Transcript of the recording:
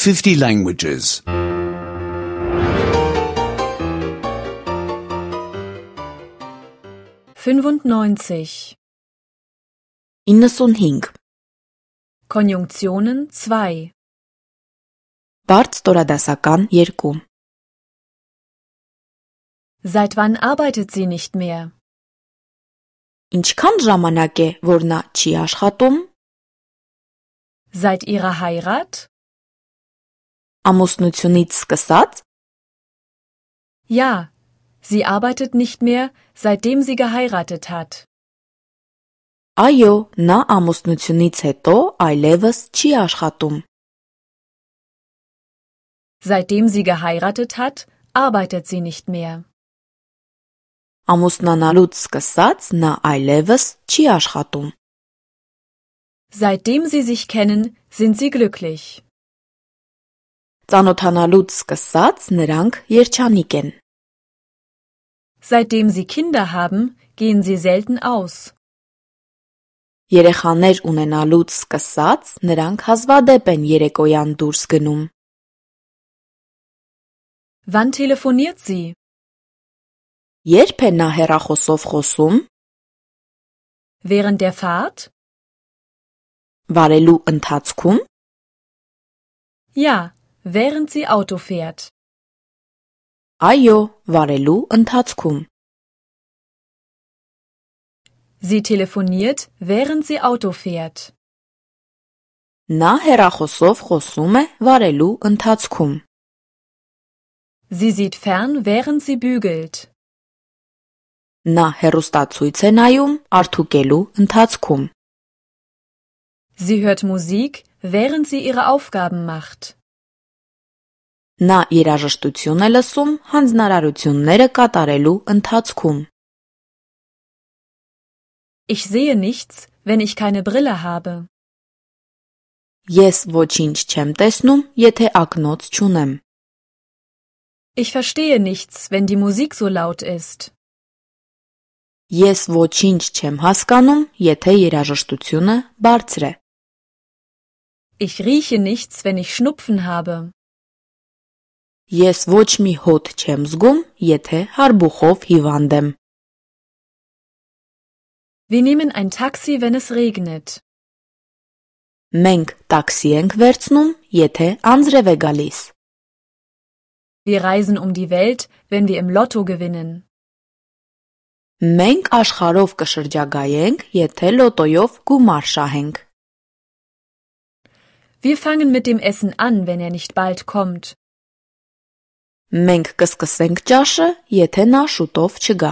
50 languages. 95. 95. Konjunktionen 2. Բարդ ստորադասական 2. Seit wann arbeitet sie nicht mehr? Ինչքան ժամանակ է, որ նա չի աշխատում? Seit ihrer Heirat? Ամուսնությունից սկսած? Ja, sie arbeitet nicht mehr, seitdem sie geheiratet hat. Այո, նա ամուսնությունից հետո այլևս չի աշխատում։ Seitdem sie geheiratet hat, arbeitet sie nicht mehr. Ամուսնանալուց սկսած նա այլևս չի աշխատում։ Seitdem sie sich kennen, sind sie glücklich. Ծանոթանալուց սկսած նրանք երջանիկ են։ Seitdem sie Kinder haben, gehen sie selten aus. Երեխաներ ունենալուց սկսած նրանք հազվադեպ են երեկոյան դուրս գնում։ Wann telefoniert sie? Երբ է նա հեռախոսով խոսում? Während der Fahrt? Վարելու ընթացքում? Ja, während sie Auto fährt. Այո, վարելու ընթացքում։ Sie telefoniert, während sie Auto fährt. Նա հեռախոսով խոսում է վարելու ընթացքում։ Sie sieht fern, während sie bügelt. Նա հեռուստացույց է նայում արդուկելու ընթացքում։ Sie hört Musik, während sie ihre Aufgaben macht. Նա երաժշտություն է լսում հանձնարարությունները կատարելու ընթացքում։ Ich sehe nichts, wenn ich keine Brille habe. Ես ոչինչ չեմ տեսնում, եթե ակնոց չունեմ։ Ich verstehe nichts, wenn die Musik so laut ist. Ես ոչինչ չեմ հասկանում, եթե երաժշտությունը բարձր է։ Ich rieche nichts, wenn ich Schnupfen habe. Ես ոչ մի հոտ չեմ զգում, եթե հարբուխով հիվանդ եմ։ Wir nehmen ein Taxi, wenn es regnet. Մենք տաքսի ենք վերցնում, եթե անձրև է գալիս։ Wir reisen um die Welt, wenn wir im Lotto gewinnen. Մենք աշխարհով կշրջագայենք, եթե լոտոյով գումար շահենք։ Wir fangen mit dem Essen an, wenn er nicht bald kommt. Մենք կսկսենք ճաշը, եթե նա շուտով չգա։